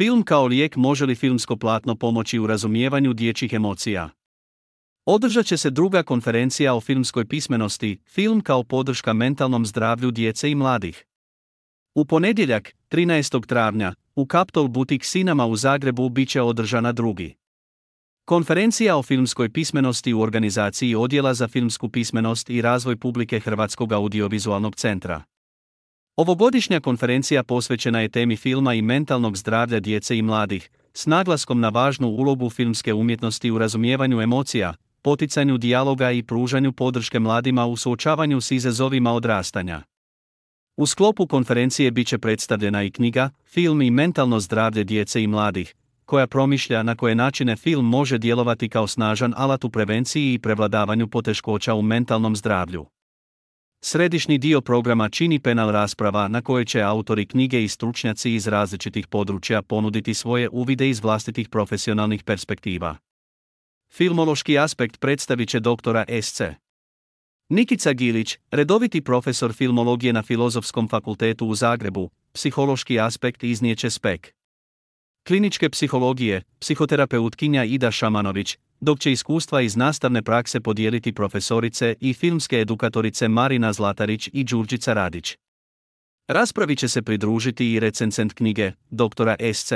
Film kao lijek, može li filmsko platno pomoći u razumijevanju dječjih emocija? Održat će se druga konferencija o filmskoj pismenosti, film kao podrška mentalnom zdravlju djece i mladih. U ponedjeljak, 13. travnja, u Capitol Boutique Cinema u Zagrebu bit će održana drugi. Konferencija o filmskoj pismenosti u organizaciji Odjela za filmsku pismenost i razvoj publike Hrvatskog audiovizualnog centra. Ovogodišnja konferencija posvećena je temi filma i mentalnog zdravlja djece i mladih, s naglaskom na važnu ulogu filmske umjetnosti u razumijevanju emocija, poticanju dijaloga i pružanju podrške mladima u suočavanju s izazovima odrastanja. U sklopu konferencije bit će predstavljena i knjiga Film i mentalno zdravlje djece i mladih, koja promišlja na koje načine film može djelovati kao snažan alat u prevenciji i prevladavanju poteškoća u mentalnom zdravlju. Središnji dio programa čini panel rasprava na kojoj će autori knjige i stručnjaci iz različitih područja ponuditi svoje uvide iz vlastitih profesionalnih perspektiva. Filmološki aspekt predstavit će doktora SC. Nikica Gilić, redoviti profesor filmologije na Filozofskom fakultetu u Zagrebu, psihološki aspekt iznijet će SPEK. Kliničke psihologije, psihoterapeutkinja Ida Šamanović, dok će iskustva iz nastavne prakse podijeliti profesorice i filmske edukatorice Marina Zlatarić i Đurđica Radić. Raspravi će se pridružiti i recenzent knjige, doktora SC.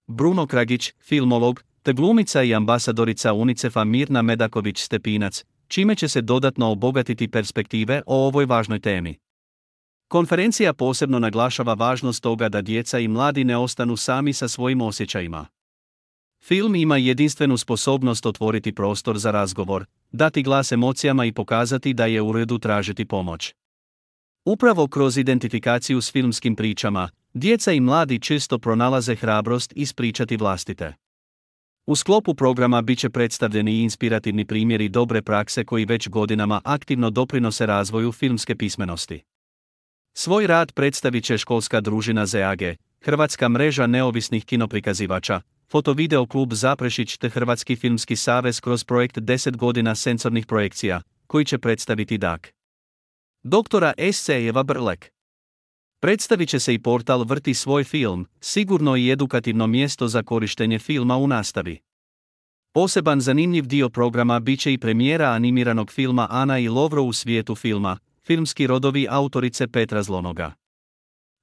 Bruno Kragić, filmolog, te glumica i ambasadorica UNICEF-a Mirna Medaković-Stepinac, čime će se dodatno obogatiti perspektive o ovoj važnoj temi. Konferencija posebno naglašava važnost toga da djeca i mladi ne ostanu sami sa svojim osjećajima. Film ima jedinstvenu sposobnost otvoriti prostor za razgovor, dati glas emocijama i pokazati da je u redu tražiti pomoć. Upravo kroz identifikaciju s filmskim pričama, djeca i mladi često pronalaze hrabrost ispričati vlastite. U sklopu programa bit će predstavljeni i inspirativni primjeri dobre prakse koji već godinama aktivno doprinose razvoju filmske pismenosti. Svoj rad predstavit će školska družina ZAG, Hrvatska mreža neovisnih kinoprikazivača, Fotovideo klub Zaprešić te Hrvatski filmski savez kroz projekt 10 godina senzornih projekcija, koji će predstaviti DAK. Doktora SC Eva Brlek. Predstavit će se i portal Vrti svoj film, sigurno i edukativno mjesto za korištenje filma u nastavi. Poseban zanimljiv dio programa bit će i premijera animiranog filma Ana i Lovro u svijetu filma, filmski rodovi autorice Petra Zlonoga.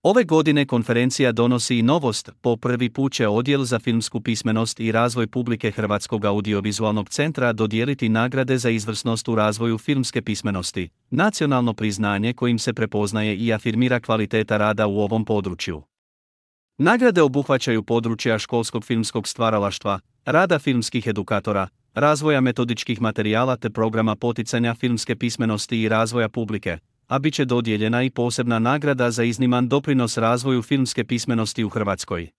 Ove godine konferencija donosi i novost, po prvi put će Odjel za filmsku pismenost i razvoj publike Hrvatskog audiovizualnog centra dodijeliti nagrade za izvrsnost u razvoju filmske pismenosti, nacionalno priznanje kojim se prepoznaje i afirmira kvaliteta rada u ovom području. Nagrade obuhvaćaju područja školskog filmskog stvaralaštva, rada filmskih edukatora, razvoja metodičkih materijala te programa poticanja filmske pismenosti i razvoja publike, a bit će dodijeljena i posebna nagrada za izniman doprinos razvoju filmske pismenosti u Hrvatskoj.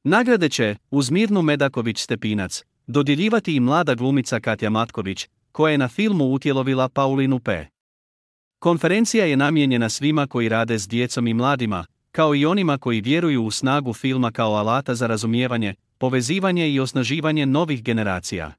Nagrade će, uz Mirnu Medaković-Stepinac, dodjeljivati i mlada glumica Katja Matković, koja je na filmu utjelovila Paulinu P. Konferencija je namijenjena svima koji rade s djecom i mladima, kao i onima koji vjeruju u snagu filma kao alata za razumijevanje, povezivanje i osnaživanje novih generacija.